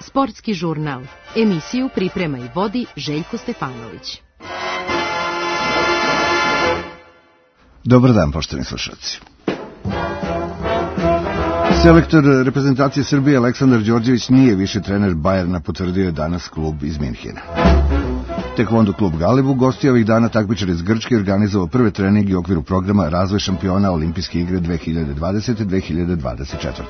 Sportski žurnal. Emisiju priprema i vodi Željko Stefanović. Dobar dan, poštovani slušalci. Selektor reprezentacije Srbije Aleksandar Đorđević nije više trener Bajerna, potvrdio je danas klub iz Minhena. Tekvondo klub Galeb ugostio ovih dana takmičare iz Grčke i organizovao prve treninge u okviru programa Razvoj šampiona Olimpijske igre 2020-2024.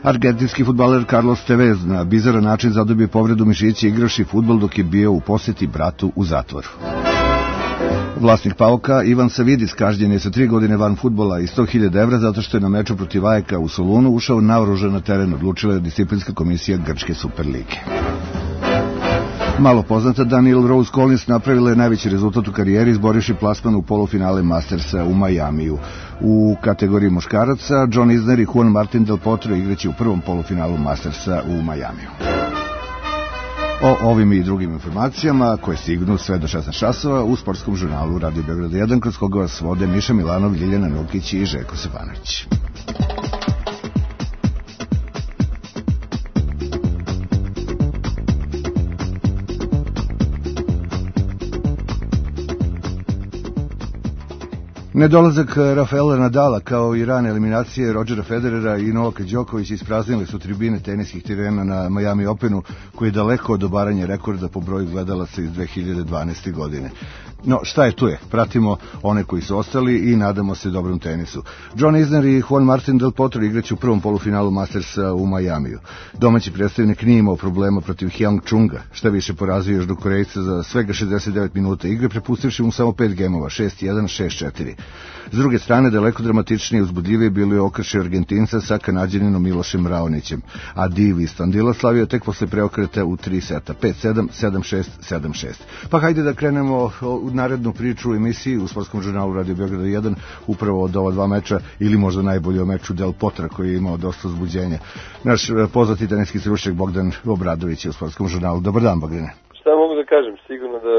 Argentinski fudbaler Carlos Tevez na bizaran način zadobio povredu mišića igraši fudbal dok je bio u poseti bratu u zatvoru. Vlasnik Pauka Ivan Savidis kažnjen je sa 3 godine van fudbala i 100.000 evra zato što je na meču protiv Ajeka u Solunu ušao naoružan na teren, odlučila je disciplinska komisija Grčke Superlige. Malo poznata Danielle Rose Collins napravila je najveći rezultat u karijeri izborivši plasman u polufinale Mastersa u Majamiju. U kategoriji muškaraca John Isner i Juan Martin Del Potro igraće u prvom polufinalu Mastersa u Majamiju. O ovim i drugim informacijama koje stignu sve do 16 časova u sportskom žurnalu Radio Beograd 1, kroz koga vas vode Miša Milanov, Ljiljana Nukić i Željko Stefanović. Nedolazak Rafaela Nadala kao i rane eliminacije Rodgera Federera i Novaka Đokovića ispraznili su tribine teniskih terena na Miami Openu, koji je daleko od obaranja rekorda po broju gledalaca iz 2012. godine. No, šta je tu je? Pratimo one koji su ostali i nadamo se dobrom tenisu. John Isner i Juan Martin Del Potro igraće u prvom polufinalu Mastersa u Majamiju. Domaći predstavnik nije imao problema protiv Hyang Chunga, šta više porazio još do Korejca za svega 69 minuta igre, prepustivši mu samo 5 gemova, 6-1, 6-4. S druge strane, daleko dramatičnije i uzbudljivije bilo je okršaj Argentinca sa Kanađaninom Milošem Raonićem, a div iz Tandila slavio tek posle preokreta u 3 seta, 5-7, 7-6, 7-6. Pa hajde da krenemo u narednu priču u emisiji u sportskom žurnalu Radio Beograda 1, upravo od ova dva meča, ili možda najbolje o meču Del Potra koji je imao dosta uzbuđenja. Naš poznati teniski stručnjak Bogdan Obradović je u sportskom žurnalu. Dobar dan, Bogdane. Šta mogu da kažem? Sigurno da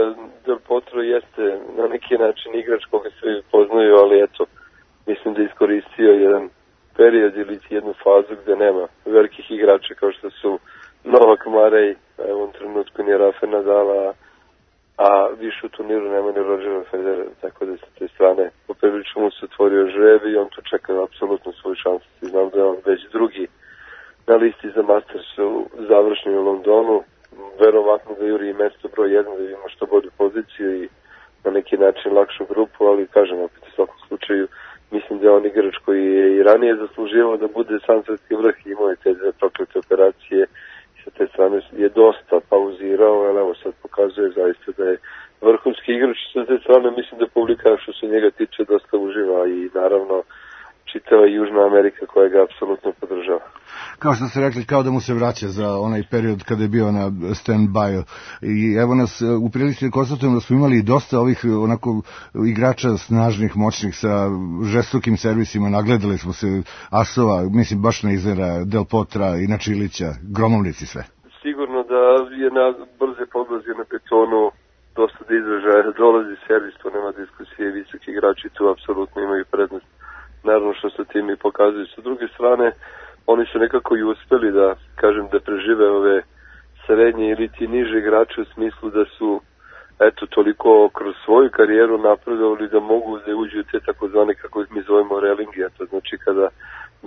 Del Potro jeste na neki način igrač koga svi poznaju, ali eto, mislim da iskoristio jedan period ili jednu fazu gde nema velikih igrača kao što su Novak Marej, u ovom trenutku nije Rafael Nadala, a više u turniru nema ni Rodgera Federera, tako da sa te strane poprilično mu se otvorio žreb i on tu čeka apsolutno svoju šansu. Znam da je on već drugi na listi za Masters u završnju u Londonu, verovatno da juri i mesto broj 1 da ima što bolju poziciju i na neki način lakšu grupu, ali kažem opet u svakom slučaju mislim da je on igrač koji je i ranije zasluživao da bude sam svetski vrh i imao je te dve proklete operacije i sa te strane je dosta pauzirao, ali evo sad pokazuje zaista da je vrhunski igrač. Sa te strane mislim da publika što se njega tiče dosta uživa i naravno čitava Južna Amerika koja ga apsolutno podržava. Kao što ste rekli, kao da mu se vraća za onaj period kada je bio na stand-by. I evo nas u prilici da konstatujemo da smo imali dosta ovih onako igrača snažnih, moćnih sa žestokim servisima. Nagledali smo se asova, mislim baš na Iznera, Del Potra i na Čilića, gromovnici sve. Sigurno da je na brze podlazi na betonu dosta da izražaja, dolazi servis, to nema diskusije, visoki igrači tu apsolutno imaju prednost. Naravno što se tim i pokazuju. Sa druge strane, oni su nekako i uspeli da, kažem, da prežive ove srednje ili ti niže igrače u smislu da su, eto, toliko kroz svoju karijeru napredovali da mogu da uđu te takozvane, kako ih mi zovemo, relingi, a to znači kada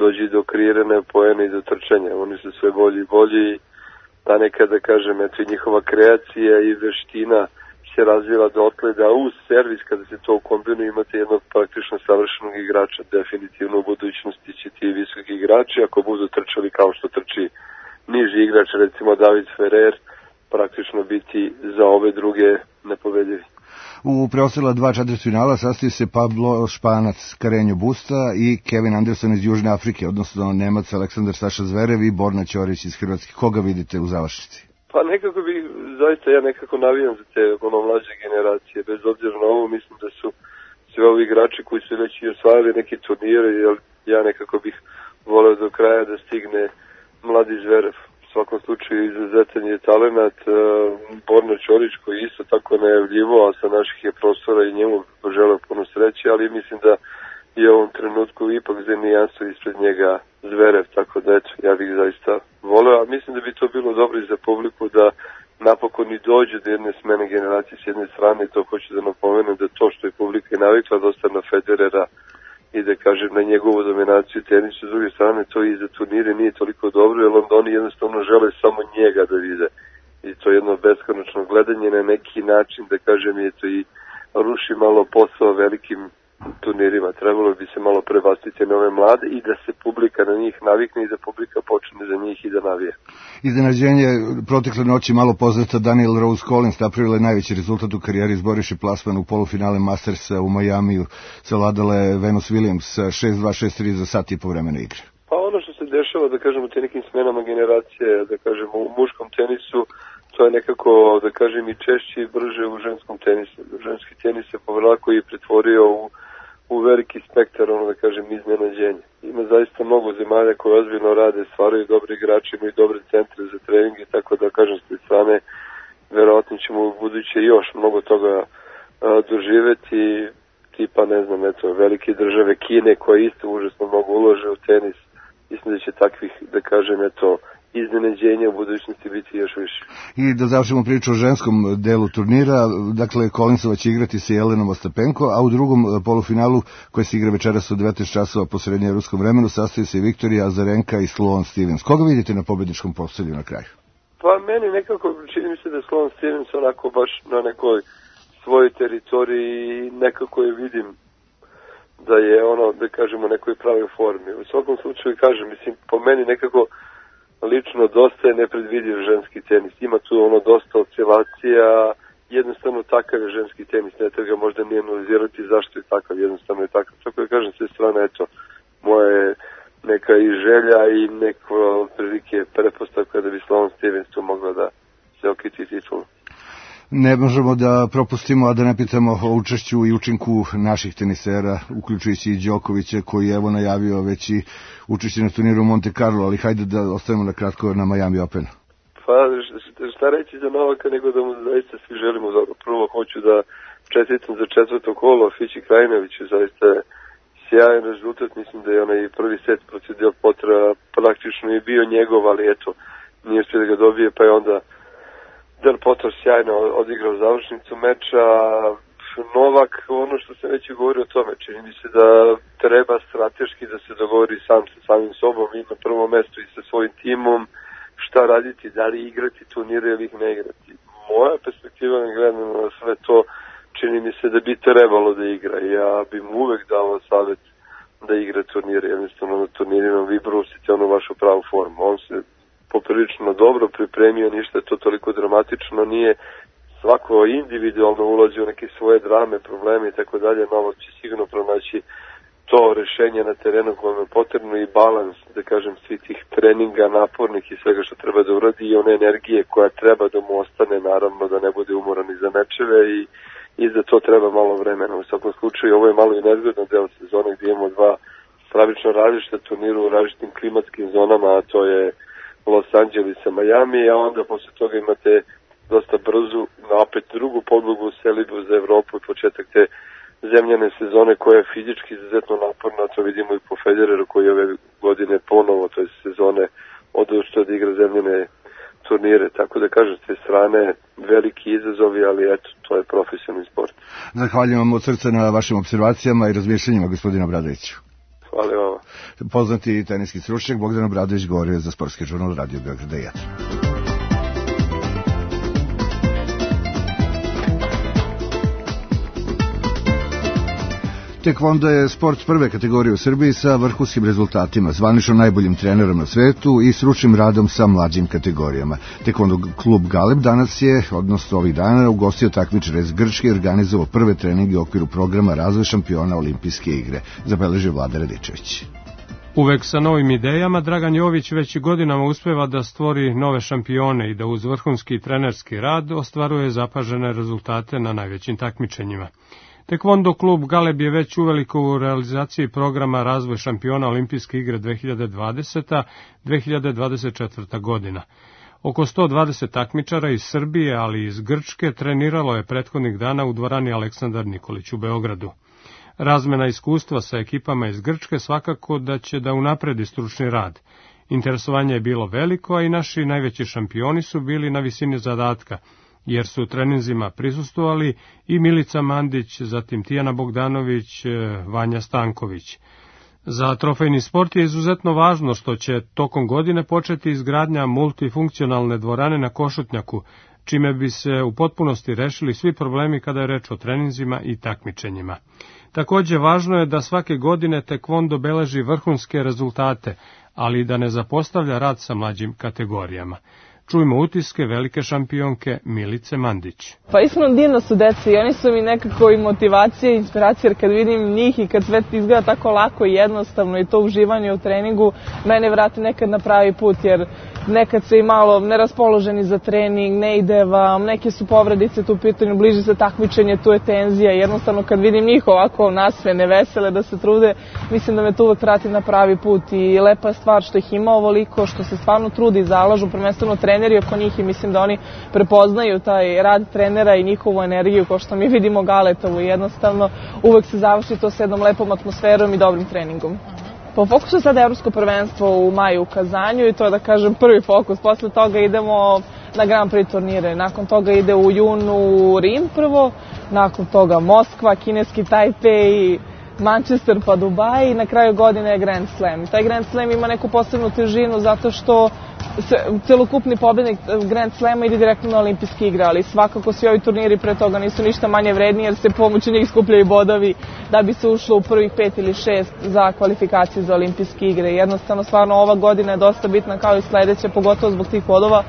dođe do kreirane poene i do trčanja. Oni su sve bolji i bolji, a nekada, kažem, eto, i njihova kreacija i veština se razvila dotle da uz servis, kada se to kombinuje, imate jednog praktično savršenog igrača. Definitivno u budućnosti će ti visoki igrači, ako budu trčali kao što trči niži igrač, recimo David Ferrer, praktično biti za ove druge nepobedivi. U preostala 2 četvrtfinala sastaju se Pablo Španac Carreño Busta i Kevin Anderson iz Južne Afrike, odnosno Nemac Aleksandar Saša Zverev i Borna Ćorić iz Hrvatske. Koga vidite u završnici? Pa nekako zaista ja nekako navijam za te mlađe generacije, bez obzira na ovo, mislim da su sve ovi igrači koji su već i osvajali neki turnire, jer ja nekako bih voleo do kraja da stigne mladi Zverev. U svakom slučaju izuzetan je talenat, Borna Ćorić koji isto tako najavljivo, a sa naših je prostora i njemu poželeo puno sreće, ali mislim da i u ovom trenutku ipak za nijansu ispred njega Zverev, tako da eto, ja bih zaista voleo, a mislim da bi to bilo dobro i za publiku da napokon i dođe do jedne smene generacije s jedne strane, i to hoću da napomenem da to što je publika navikla dosta na Federera i da kažem na njegovu dominaciju tenisu, s druge strane to i za turnire nije toliko dobro, jer onda oni jednostavno žele samo njega da vide. I to je jedno beskonačno gledanje na neki način, da kažem, je to i ruši malo posao velikim turnirima. Trebalo bi se malo prebaciti na ove mlade i da se publika na njih navikne i da publika počne za njih i da navije. Iznenađenje protekle noći malo poznata Daniel Rose Collins napravila je najveći rezultat u karijeri, izboriše plasman u polufinale Mastersa u Majamiju, savladala je Venus Williams 6-2, 6-3 za sat i po vremena igre. Pa ono što se dešava, da kažem, u te nekim smenama generacije, da kažem, u muškom tenisu, to je nekako, da kažem, i češće i brže u ženskom tenisu. Ženski tenis se povrlako i pretvorio u veliki spektar, ono da kažem, iznenađenja. Ima zaista mnogo zemalja koje ozbiljno rade, stvaraju dobre igrače, imaju dobre centre za trening i tako da kažem, s te strane, verovatno ćemo u buduće još mnogo toga doživeti, tipa, ne znam, eto, velike države Kine koje isto užasno mnogo ulože u tenis. Mislim da će takvih, da kažem, eto, iznenađenja u budućnosti biti još više. I da završimo priču o ženskom delu turnira, dakle Collinsova će igrati sa Jelenom Ostapenko, a u drugom polufinalu koji se igra večeras u 19 časova po srednjeevropskom vremenu sastoji se Viktorija Azarenka i Sloane Stevens. Koga vidite na pobedničkom postolju na kraju? Pa meni nekako čini mi se da Sloane Stevens onako baš na nekoj svojoj teritoriji nekako je vidim da je ono, da kažemo, nekoj pravoj formi. U svakom slučaju kažem, mislim, po meni nekako lično dosta je nepredvidiv ženski tenis. Ima tu ono dosta oscilacija, jednostavno takav je ženski tenis, ne treba ga možda nije analizirati zašto je takav, jednostavno je takav. Tako da kažem, sve strane, eto, moja je neka i želja i neko prilike prepostavka da bi Sloane Stevens tu mogla da se okiti titulu. Ne možemo da propustimo, a da ne pitamo o učešću i učinku naših tenisera, uključujući i Đokovića, koji je evo najavio već i učešće na turniru Monte Carlo, ali hajde da ostavimo na kratko na Miami Openu. Pa šta reći za Novaka, nego da mu zaista svi želimo dobro. Prvo hoću da čestitam za 4. kolo Fići Krajinoviću, zaista je sjajan rezultat, mislim da je onaj prvi set protiv Del Potra praktično je bio njegov, ali eto, nije uspio da ga dobije, pa je onda Del Potro sjajno odigrao završnicu meča. Novak, ono što se već govori o tome, čini mi se da treba strateški da se dogovori sam sa samim sobom i na prvo mesto i sa svojim timom šta raditi, da li igrati turnire ili ih ne igrati. Moja perspektiva ne gledam na sve to, čini mi se da bi trebalo da igra. Ja bi mu uvek dao savjet da igra turnire, jednostavno na turnirima vi brusite onu vašu pravu formu. On se poprilično dobro pripremio, ništa to toliko dramatično nije, svako individualno ulazi u neke svoje drame, probleme i tako dalje, Novak će sigurno pronaći to rešenje na terenu kojem je potrebno i balans, da kažem, svih tih treninga napornih i svega što treba da uradi i one energije koja treba da mu ostane, naravno da ne bude umoran i za mečeve i za to treba malo vremena. U svakom slučaju ovo je malo i nezgodno deo sezone gdje imamo dva stravično različita turnira u različitim klimatskim zonama, a to je Los Angeles i Miami, a onda posle toga imate dosta brzu, opet drugu podlogu u selidbu za Evropu i početak te zemljane sezone koja je fizički izuzetno naporna, to vidimo i po Federeru koji ove godine ponovo, to je sezone odustao da igra zemljane turnire, tako da kažem s te strane veliki izazovi, ali eto, to je profesionalni sport. Zahvaljujem vam od srca na vašim observacijama i razmišljenjima, gospodina Obradoviću. Hvala vama. Poznati teniski stručnjak Bogdan Obradović govorio za Sportski žurnal Radio Beograda 1. Tekvondo je sport prve kategorije u Srbiji sa vrhunskim rezultatima, zvanično najboljim trenerom na svetu i stručnim radom sa mlađim kategorijama. Tekvondo klub Galeb danas je, odnosno ovih dana, ugostio takmičare iz Grčke i organizovao prve treninge u okviru programa Razvoj šampiona Olimpijske igre, zabeležio Vlada Radičević. Uvek sa novim idejama, Dragan Jović već godinama uspeva da stvori nove šampione i da uz vrhunski trenerski rad ostvaruje zapažene rezultate na najvećim takmičenjima. Tekvondo klub Galeb je već uveliko u realizaciji programa Razvoj šampiona Olimpijske igre 2020-2024. godina. Oko 120 takmičara iz Srbije, ali i iz Grčke, treniralo je prethodnih dana u dvorani Aleksandar Nikolić u Beogradu. Razmena iskustva sa ekipama iz Grčke svakako da će da unapredi stručni rad. Interesovanje je bilo veliko, a i naši najveći šampioni su bili na visini zadatka, jer su treninzima prisustvovali i Milica Mandić, zatim Tijana Bogdanović, Vanja Stanković. Za trofejni sport je izuzetno važno što će tokom godine početi izgradnja multifunkcionalne dvorane na Košutnjaku, čime bi se u potpunosti rešili svi problemi kada je reč o treninzima i takmičenjima. Takođe, važno je da svake godine tekvondo beleži vrhunske rezultate, ali i da ne zapostavlja rad sa mlađim kategorijama. Čujmo utiske velike šampionke Milice Mandić. Pa iskreno divno su deca i oni su mi nekako i motivacija i inspiracija, jer kad vidim njih i kad sve izgleda tako lako i jednostavno i to uživanje u treningu, mene vrati nekad na pravi put, jer nekad se i malo neraspoloženi za trening, ne ide vam, neke su povredice tu u pitanju, bliži se takmičenje, tu je tenzija, jednostavno kad vidim njih ovako nasmene, vesele, da se trude, mislim da me to uvek vrati na pravi put i lepa je stvar što ih ima ovoliko, što se stvarno trudi i zalažu, prvenstveno treneri oko njih i mislim da oni prepoznaju taj rad trenera i njihovu energiju, kao što mi vidimo Galetovu i jednostavno uvek se završi to s jednom lepom atmosferom i dobrim treningom. Po fokusu je sada Evropsko prvenstvo u maju u Kazanju i to je, da kažem, prvi fokus. Posle toga idemo na Grand Prix turnire. Nakon toga ide u junu Rim prvo, nakon toga Moskva, kineski Tajpej, Manchester pa Dubai i na kraju godine je Grand Slam. Taj Grand Slam ima neku posebnu težinu zato što celokupni pobednik Grand Slama ide direktno na olimpijske igre, ali svakako svi ovi turniri pre toga nisu ništa manje vredni jer se pomoću njih skupljaju bodovi da bi se ušlo u prvih 5 ili 6 za kvalifikacije za olimpijske igre. Jednostavno, stvarno ova godina je dosta bitna kao i sledeća, pogotovo zbog tih bodova.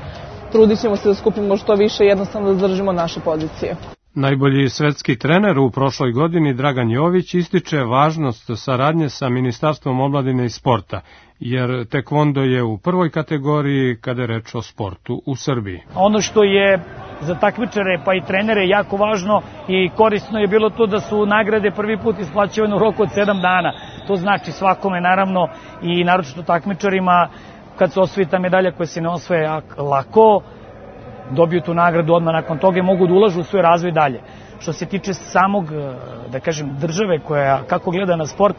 Trudit ćemo se da skupimo što više i jednostavno da zadržimo naše pozicije. Najbolji svetski trener u prošloj godini, Dragan Jović, ističe važnost saradnje sa Ministarstvom omladine i sporta, jer tekvondo je u prvoj kategoriji kada je reč o sportu u Srbiji. Ono što je za takmičare pa i trenere jako važno i korisno je bilo to da su nagrade prvi put isplaćivane u roku od 7 dana. To znači svakome, naravno, i naročito takmičarima, kad se osvoji ta medalja koja se ne osvoje lako, dobiju tu nagradu odmah nakon toga i mogu da ulažu u svoj razvoj dalje. Što se tiče samog, da kažem, države koja kako gleda na sport,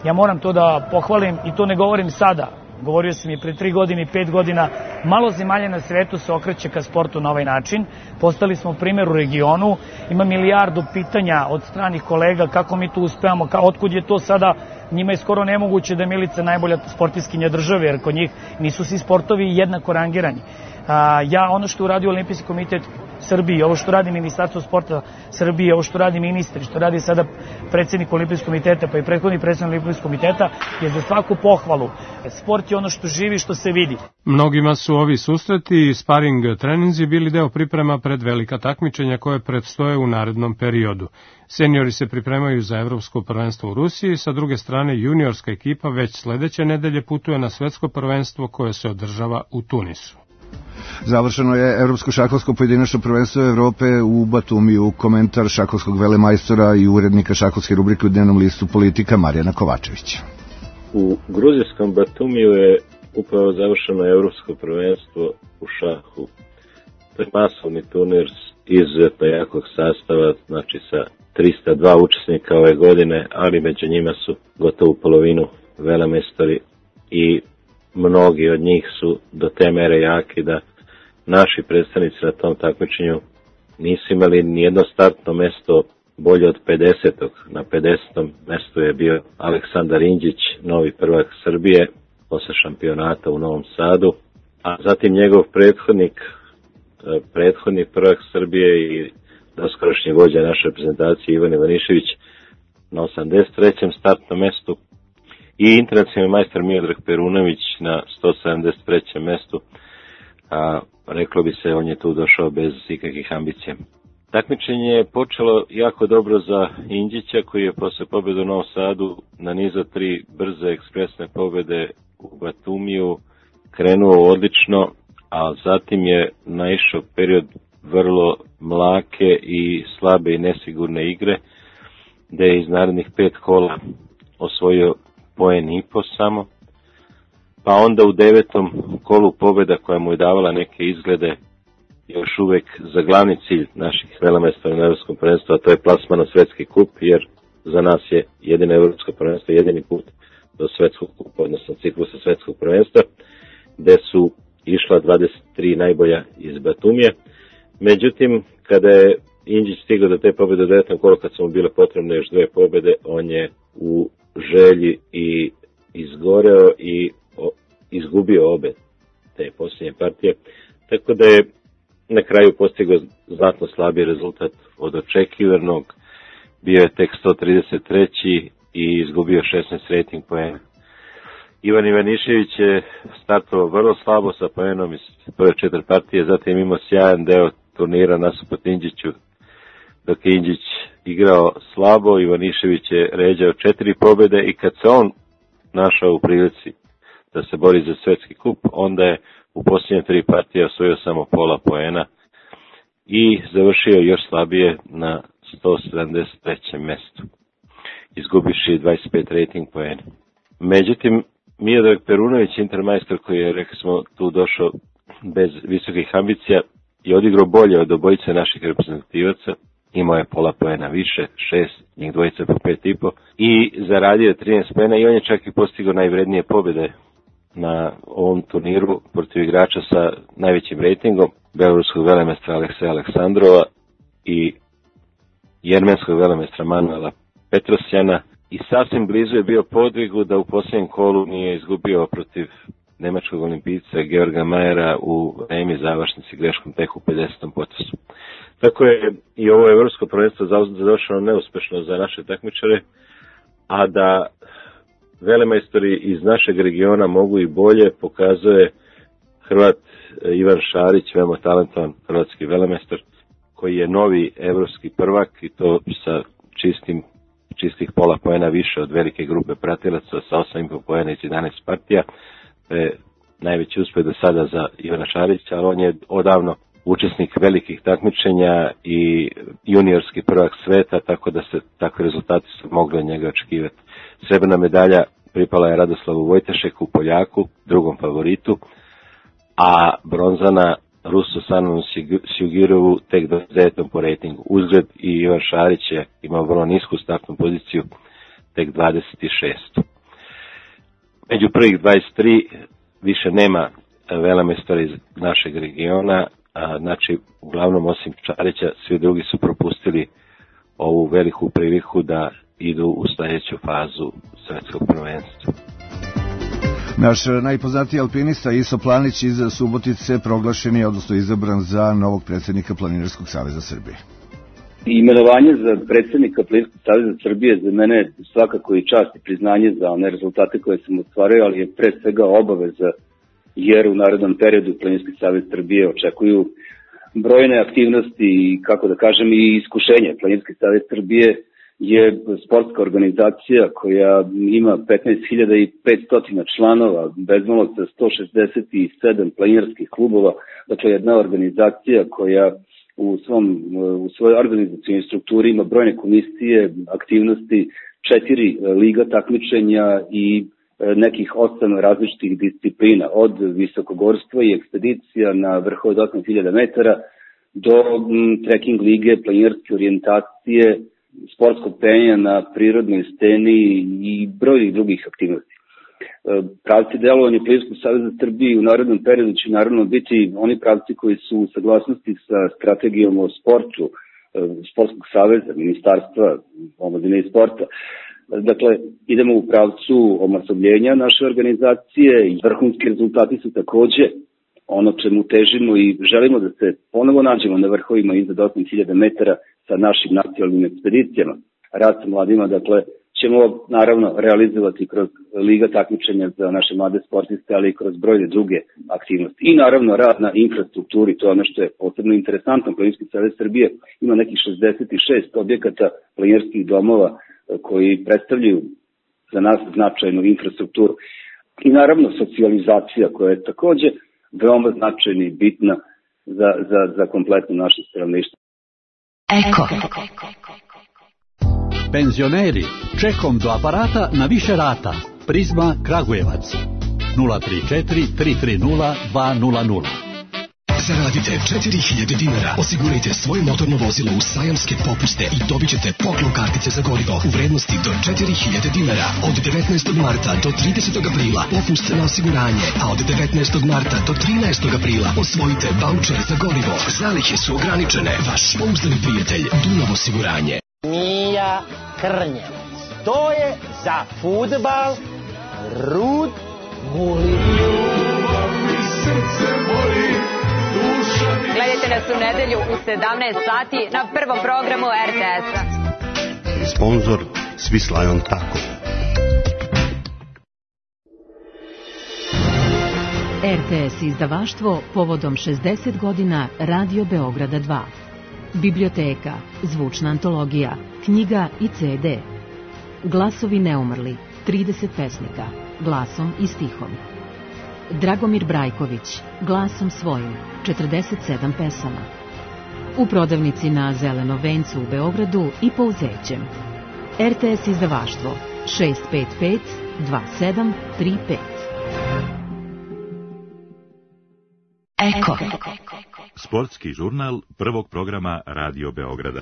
ja moram to da pohvalim i to ne govorim sada. Govorio sam i pre 3 godine i 5 godina, malo zemalja na svetu se okreće ka sportu na ovaj način. Postali smo primjer u regionu, ima milijardu pitanja od stranih kolega kako mi to uspevamo, otkud je to sada, njima je skoro nemoguće da je Milica najbolja sportiskinja države, jer kod njih nisu svi sportovi jednako rangirani. Ono što uradio Olimpijski komitet Srbije, ovo što radi Ministarstvo sporta Srbije, ovo što radi ministri, što radi sada predsjednik Olimpijskog komiteta, pa i prethodni predsjednik Olimpijskog komiteta, je za svaku pohvalu. Sport je ono što živi, što se vidi. Mnogima su ovi susreti i sparing treninzi bili deo priprema pred velika takmičenja koje predstoje u narednom periodu. Seniori se pripremaju za Evropsko prvenstvo u Rusiji, sa druge strane juniorska ekipa već sledeće nedelje putuje na svetsko prvenstvo koje se održava u Tunisu. Završeno je Evropsko šahovsko pojedinačno prvenstvo Evrope u Batumiju. Komentar šahovskog velemajstora i urednika šahovske rubrike u dnevnom listu Politika Marijana Kovačevića. U gruzijskom Batumiju je upravo završeno Evropsko prvenstvo u šahu. To je masovni turnir izuzetno jakog sastava, znači sa 302 učesnika ove godine, ali među njima su gotovo polovinu velemajstori i mnogi od njih su do te mere jaki da naši predstavnici na tom takmičenju nisu imali nijedno startno mesto bolje od 50. Na 50. mestu je bio Aleksandar Indžić, novi prvak Srbije, posle šampionata u Novom Sadu, a zatim njegov prethodni prvak Srbije i doskorašnji vođa naše reprezentacije Ivan Ivanišević na 83. startnom mestu i internacionalni majstor Miodrag Perunović na 173. mestu, a reklo bi se on je tu došao bez ikakvih ambicija. Takmičenje je počelo jako dobro za Indžića koji je posle pobjede u Novom Sadu na nizu 3 brze ekspresne pobjede u Batumiju krenuo odlično, a zatim je naišao period vrlo mlake i slabe i nesigurne igre, gde je iz narednih 5 kola osvojio poen i po samo, pa onda u 9. kolu pobjeda koja mu je davala neke izglede još uvek za glavni cilj naših velemajstora na Evropskom prvenstvu, a to je plasman na svetski kup, jer za nas je jedino evropsko prvenstvo, jedini put do svetskog kupa, odnosno ciklusa svetskog prvenstva, gde su išla 23 najbolja iz Batumije. Međutim, kada je Indžić stigao do te pobjede u 9. kolu, kad su mu bile potrebne još 2 pobjede, on je u želji i izgoreo i izgubio obe te posljednje partije. Tako da je na kraju postigao znatno slabiji rezultat od očekivanog. Bio je tek 133. i izgubio 16 rating poena. Ivan Ivanišević je startovao vrlo slabo sa poenom iz prve 4 partije, zatim imao sjajan deo turnira nasuprot Indžiću. Dok je Indžić igrao slabo, Ivanišević je ređao 4 pobjede i kad se on našao u prilici da se bori za svetski kup, onda je u posljednje 3 partije osvojio samo pola poena i završio još slabije na 173. mestu, izgubiši 25 rating poena. Međutim, Miodrag Perunović, intermajstor koji je, rekli smo, tu došao bez visokih ambicija, je odigrao bolje od obojice naših reprezentativaca, imao je pola poena više, 6, njih dvojica po 5,5 i zaradio 13 poena i on je čak i postigao najvrednije pobjede na ovom turniru protiv igrača sa najvećim rejtingom, beloruskog velemestra Alekseja Aleksandrova i jermenskog velemestra Manuela Petrosjana, i sasvim blizu je bio podvigu da u posljednjem kolu nije izgubio protiv nemačkog olimpijca Georga Majera u remi završnici greškom tek u 50. potesu. Tako je i ovo evropsko prvenstvo završeno neuspešno za naše takmičare, a da velemajstori iz našeg regiona mogu i bolje, pokazuje Hrvat Ivan Šarić, veoma talentovan hrvatski velemajstor, koji je novi evropski prvak i to sa čistih pola poena više od velike grupe pratilaca sa 8,5 poena iz 11 partija. To je najveći uspeh do sada za Ivana Šarića, ali on je odavno učesnik velikih takmičenja i juniorski prvak sveta, tako da se takvi rezultati su mogli od njega očekivati. Srebrna medalja pripala je Radoslavu Vojtešeku, Poljaku, drugom favoritu, a bronzana Rusu Sanonu Sjugirovu tek 29. po rejtingu. Uzgled i Ivan Šarić je imao vrlo nisku startnu poziciju, tek 26. Među prvih 23 više nema velemajstora iz našeg regiona, znači uglavnom osim Šarića svi drugi su propustili ovu veliku priliku da idu u sljedeću fazu svetskog prvenstva. Naš najpoznatiji alpinista Iso Planić iz Subotice proglašen je, odnosno izabran za novog predsjednika Planinarskog saveza Srbije. Imenovanje za predsjednika Planinarskog saveza Srbije za mene je svakako i čast i priznanje za one rezultate koje sam ostvario, ali je pre svega obaveza, jer u narednom periodu Planinarski savez Srbije očekuju brojne aktivnosti i, kako da kažem, i iskušenje. Planinarski savez Srbije je sportska organizacija koja ima 15.500 članova, bezmalo sa 167 planinarskih klubova, dakle jedna organizacija koja u svojoj organizacijnoj strukturi ima brojne komisije, aktivnosti, 4 liga takmičenja i nekih 8 različitih disciplina, od visokogorstva i ekspedicija na vrhu od 8.000 metara do trekking lige, planinarske orijentacije, sportskog penja na prirodnoj steni i brojnih drugih aktivnosti. Pravci delovanja Planinarskog saveza Srbije u narednom periodu će naravno biti oni pravci koji su u saglasnosti sa strategijom o sportu Sportskog saveza, Ministarstva omladine i sporta. Dakle, idemo u pravcu omasobljenja naše organizacije i vrhunski rezultati su takođe ono čemu težimo i želimo da se ponovo nađemo na vrhovima iznad 8.000 metara sa našim nacionalnim ekspedicijama. Rad sa mladima, dakle, ćemo naravno realizovati kroz liga takmičenja za naše mlade sportiste, ali i kroz brojne druge aktivnosti. I naravno rad na infrastrukturi, to je ono što je posebno interesantno. Planinarski savez Srbije ima nekih 66 objekata planinarskih domova koji predstavljaju za nas značajnu infrastrukturu. I naravno socijalizacija koja je takođe veoma značajna i bitna za kompletno naše stanovništvo. Eko. Penzioneri, čekom do aparata na više rata. Prizma Kragujevac 034 330 200. Zaradite 4000 dinara. Osigurajte svoje motorno vozilo u sajamske popuste i dobit ćete poklon kartice za gorivo u vrednosti do 4000 dinara. Od 19. marta do 30. aprila popust na osiguranje, a od 19. marta do 13. aprila osvojite vaučer za gorivo. Zalihe su ograničene. Vaš pouzdani prijatelj Dunav osiguranje. Mija Krnjevac. To je za fudbal Rud Guli. Gledajte nas u nedelju u 17 sati na prvom programu RTS-a. Sponzor Swiss Tako. RTS izdavaštvo povodom 60 godina Radio Beograda 2. Biblioteka, zvučna antologija, knjiga i CD. Glasovi neumrli, 30 pesnika, glasom i stihom. Dragomir Brajković, glasom svojim, 47 pesama. U prodavnici na Zelenom vencu u Beogradu i po Uzećem. RTS izdavaštvo 655 2735. Eko. Sportski žurnal prvog programa Radio Beograda.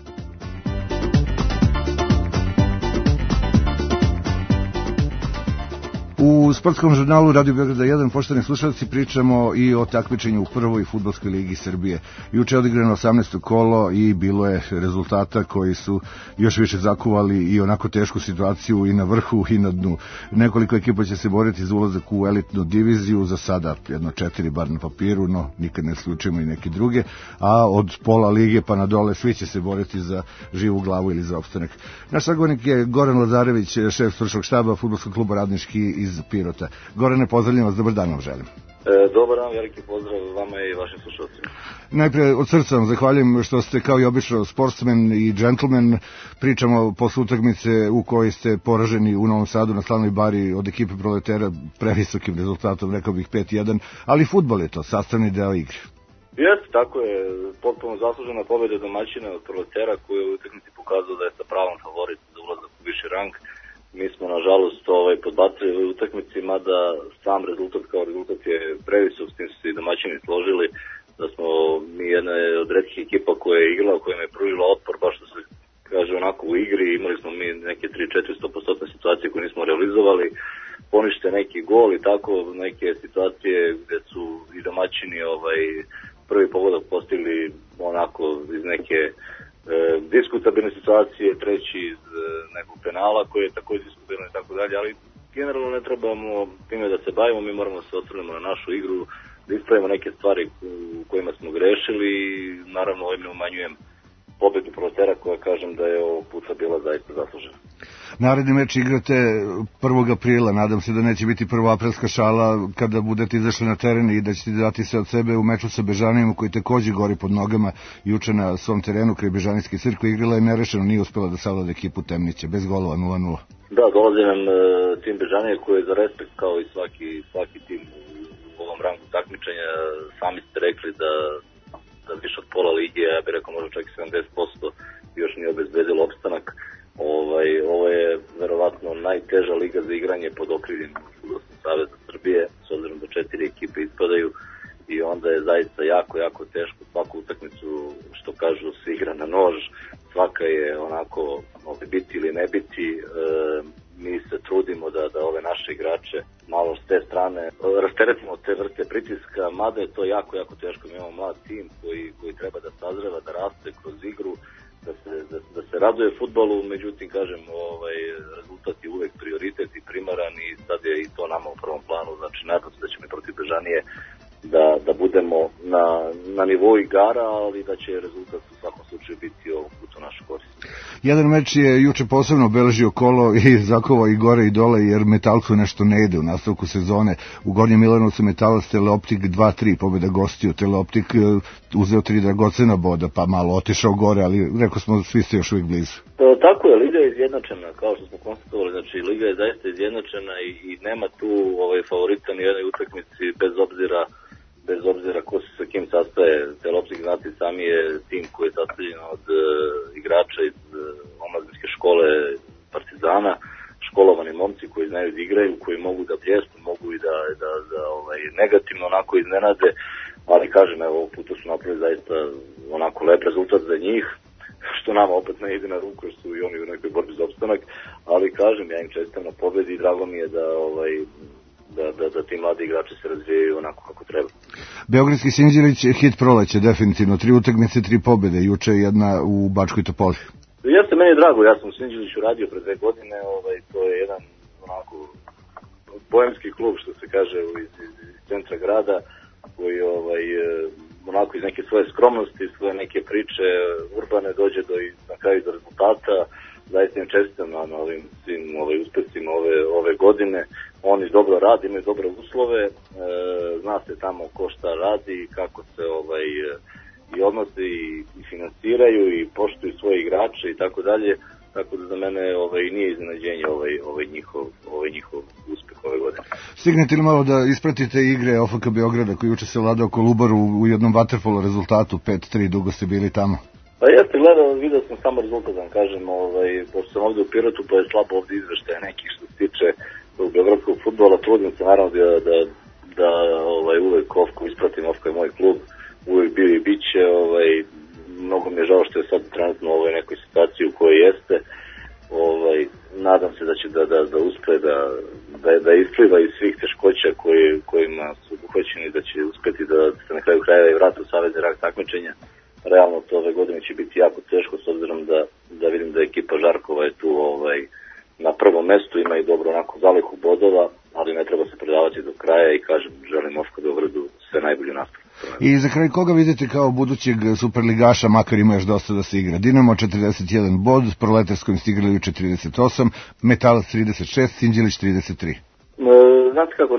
U sportskom žurnalu Radio Beograda 1, poštovani slušalci, pričamo i o takmičenju u prvoj fudbalskoj ligi Srbije. Juče je odigrano 18. kolo i bilo je rezultata koji su još više zakuvali i onako tešku situaciju i na vrhu i na dnu. Nekoliko ekipa će se boriti za ulazak u elitnu diviziju, za sada jedno 4 bar na papiru, no nikad ne slučajemo i neke druge, a od pola lige pa na dole svi će se boriti za živu glavu ili za opstanak. Naš sagovornik je Goran Lazarević, šef stručnog štaba Fudbalskog kluba Radnički iz Pirota. Gorane, pozdravljam vas, dobar dan vam želim. Dobar dan, veliki pozdrav vama i vašim slušalcima. Najpre od srca vam zahvaljujem što ste kao i obično sportsmen i džentlmen. Pričamo posle utakmice u kojoj ste poraženi u Novom Sadu na Slavnoj bari od ekipe Proletera previsokim rezultatom, rekao bih 5-1, ali fudbal je to, sastavni deo igre. Jeste, tako je, potpuno zaslužena pobjeda domaćina od Proletera koji je u utakmici pokazao da je sa pravom favorit za ulazak u viši rang. Mi smo, nažalost, podbacili u utakmici, mada sam rezultat kao rezultat je previsok, s tim su se i domaćini složili, da smo mi jedna od retkih ekipa koja je igrala, koja je pružila otpor, baš što se kaže onako u igri, imali smo mi neke 3-400% situacije koje nismo realizovali, ponište neki gol i tako neke situacije gde su i domaćini prvi pogodak postigli onako iz neke diskutabilne situacije, treći iz nekog penala koji je također diskutabilan i tako dalje, ali generalno ne trebamo time da se bavimo, mi moramo se osvrnemo na našu igru, da ispravimo neke stvari u kojima smo grešili i naravno ovim ne umanjujem pobedu Proletera koja kažem da je ovog puta bila zaista zaslužena. Naredni meč igrate 1. aprila, nadam se da neće biti prvoaprilska šala kada budete izašli na teren i da ćete dati se od sebe u meču sa Bežanijom koji takođe gori pod nogama. Juče na svom terenu kraj Bežanijske crkve igrala je nerešeno, nije uspela da savlada ekipu Temnića, bez golova 0-0. Da, dolazi nam tim Bežanije koji je za respekt kao i svaki tim u ovom rangu takmičenja. Sami ste rekli da više od pola lige, ja bih rekao možda čak i 70% još nije obezbedilo opstanak. Ovo je verovatno najteža liga za igranje pod okriljem Fudbalskog saveza Srbije, s obzirom da 4 ekipe ispadaju i onda je zaista jako teško svaku utakmicu, što kažu, se igra na nož, svaka je onako biti ili ne biti. Mi se trudimo da ove naše igrače malo s te strane rasteretimo te vrste pritiska, mada je to jako teško. Mi imamo mlad tim koji treba da sazreva, da raste kroz igru, da se raduje fudbalu, međutim, kažem, rezultat je uvek prioritet i primaran i sad je i to nama u prvom planu, znači nadam se da ćemo i protiv Bežanije da budemo na nivou igara, ali da će rezultat u svakom slučaju biti ovog puta u našu korist. Jedan meč je juče posebno obeležio kolo i zakovao i gore i dole, jer Metalcu nešto ne ide u nastavku sezone. U Gornjem Milanovcu Metalac Teleoptik 2-3, pobjeda gostiju. Teleoptik uzeo 3 dragocena boda, pa malo otišao gore, ali rekao smo svi ste još uvijek blizu. Tako je, liga je izjednačena, kao što smo konstatovali, znači liga je zaista izjednačena i nema tu favorita ni jednoj utakmici bez obzira ko se sa kim sastaje. Teleoptik, znate, sami je tim koji je sastavljen od igrača iz omladinske škole Partizana, školovani momci koji znaju da igraju, koji mogu da bljesnu, mogu i da negativno onako iznenade. ali kažem, evo, ovog puta su napravili zaista onako lep rezultat za njih, što nama opet ne ide na ruku, jer su i oni u nekoj borbi za opstanak, ali kažem, ja im čestitam na pobedi i drago mi je da ti mladi igrači se razvijaju onako kako treba. Beogradski Sinđelić je hit proleće, definitivno. 3 utakmice, 3 pobjede, juče jedna u Bačkoj Topoli. Jeste, meni je drago, ja sam u Sinđeliću radio pre 2 godine, to je jedan onako boemski klub, što se kaže, iz centra grada, koji onako iz neke svoje skromnosti, svoje neke priče urbane dođe na kraju do rezultata. Zaista im čestitam na ovim svim uspesima ove godine. Oni dobro rade, imaju dobre uslove, zna se tamo ko šta radi, kako se i odnose i finansiraju i poštuju svoje igrače i tako dalje. Tako da za mene nije iznenađenje njihov uspeh ove godine. Stignete li malo da ispratite igre OFK Beograda koji juče se vladao Kolubaru u jednom vaterpolo rezultatu 5-3, dugo ste bili tamo? Pa jeste, vidio sam samo rezultat, da kažem, pošto sam ovde u Pirotu, pa je slabo ovde izveštaje nekih što se tiče beogradskog fudbala, trudim se naravno da uvek OFK ispratim, OFK je moj klub, uvek bio i bit će, mnogo mi je žao što je sad trenutno u ovoj nekoj situaciji u kojoj jeste, nadam se da će da uspe da ispliva iz svih teškoća kojima su obuhvaćeni, da će uspeti da se na kraju krajeva i vrati u savezni rang takmičenja. Realno to ove godine će biti jako teško, s obzirom da vidim da ekipa Žarkova je tu na prvom mestu, ima i dobro onako zalihu bodova, ali ne treba se predavati do kraja i kažem, želim OFK Beogradu sve najbolju nastavu. I za kraj koga vidite kao budućeg superligaša, makar ima još dosta da se igra? Dinamo 41 bod, Proletarskojim ste igrali juče 38, Metalac 36, Sinđelić 33. Znate kako,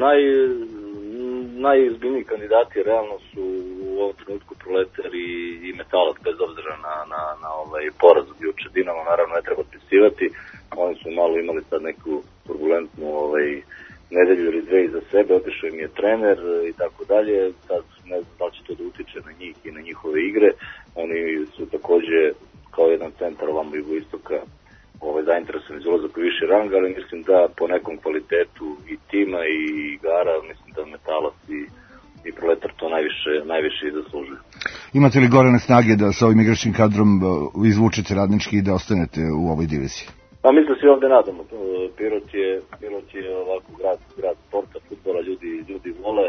najizbiljniji kandidati realno su u ovom trenutku Proletar i Metalac, bez obzira na poraz od juče. Dinamo naravno ne treba otpisivati, oni su malo imali sad neku turbulentnu nedelju ili 2 iza sebe, otišao im je trener i tako dalje, sad ne znam da će to da utiče na njih i na njihove igre. Oni su takođe kao jedan centar ovamo jugoistoka zainteresovani za ulazak u viši rang, ali mislim da po nekom kvalitetu i tima i igara, mislim da Metalac i Proletar to najviše i zaslužuju. Imate li gorane snage da sa ovim igračkim kadrom izvučete Radnički i da ostanete u ovoj diviziji? Pa mislim da se ovde nadamo. Pirot je ovako grad sporta, fudbala, ljudi vole.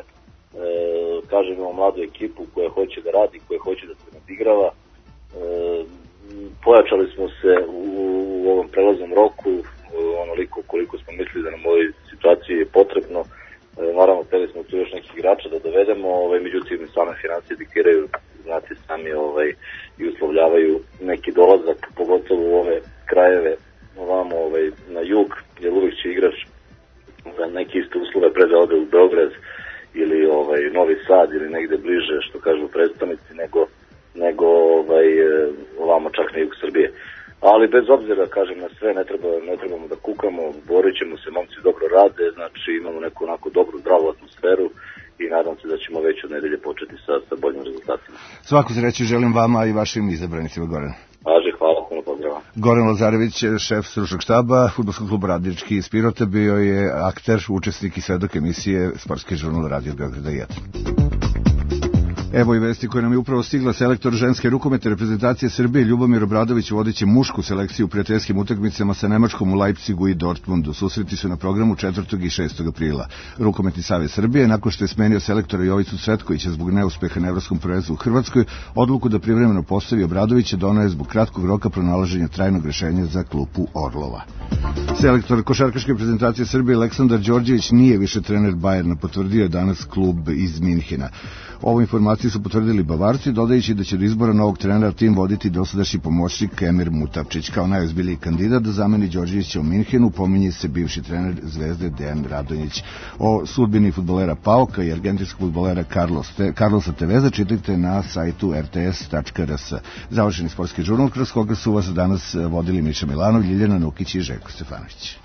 Kažem, imamo mladu ekipu koja hoće da radi, koja hoće da se nadigrava. Pojačali smo se u ovom prelaznom roku, onoliko koliko smo mislili da nam u ovoj situaciji je potrebno. Naravno, hteli smo tu još nekih igrača da dovedemo, međutim, same financije diktiraju, znate sami, i uslovljavaju neki dolazak, pogotovo u ove krajeve, ovamo na jug, jer uvijek će igrač za neke iste uslove pre da ode u Beograd ili Novi Sad ili negde bliže, što kažu predstavnici, nego ovamo čak na jug Srbije. Ali bez obzira, kažem, na sve, ne trebamo da kukamo, borit ćemo se, momci dobro rade, znači imamo neku onako dobru, zdravu atmosferu i nadam se da ćemo već od nedelje početi sa boljim rezultatima. Svaku sreću želim vama i vašim izabranicima, Goran. Važe, hvala, puno pozdrava. Goran Lazarević, šef stručnog štaba Fudbalskog kluba Radnički iz Pirota, bio je akter, učesnik i svedok emisije Sportski žurnal Radio Beograda 1. Evo i vesti koje nam je upravo stigla. Selektor ženske rukometne reprezentacije Srbije Ljubomir Obradović vodit mušku selekciju u prijateljskim utakmicama sa Nemačkom u Leipzigu i Dortmundu. Susreti su na programu 4. i 6. aprila. Rukometni savez Srbije, nakon što je smenio selektora Jovicu Cvetkovića zbog neuspeha na evropskom prvenstvu u Hrvatskoj, odluku da privremeno postavi Obradovića doneo je zbog kratkog roka pronalaženja trajnog rešenja za klupu Orlova. Selektor košarkaške reprezentacije Srbije Aleksandar Đorđević nije više trener Bajerna, potvrdio je danas klub iz Minhena. Ovu informaciju su potvrdili Bavarci, dodajući da će do izbora novog trenera tim voditi dosadašnji pomoćnik Emir Mutavčić. Kao najozbiljniji kandidat da zameni Đorđevića u Minhenu pominje se bivši trener Zvezde Dejan Radonjić. O sudbini fudbalera Pauka i argentinskog fudbalera Carlosa Teveza čitajte na sajtu rts.rs. Završeni sportski žurnal kroz koga su vas danas vodili Miša Milanov, Ljiljana Nukić i Željko Stefanović.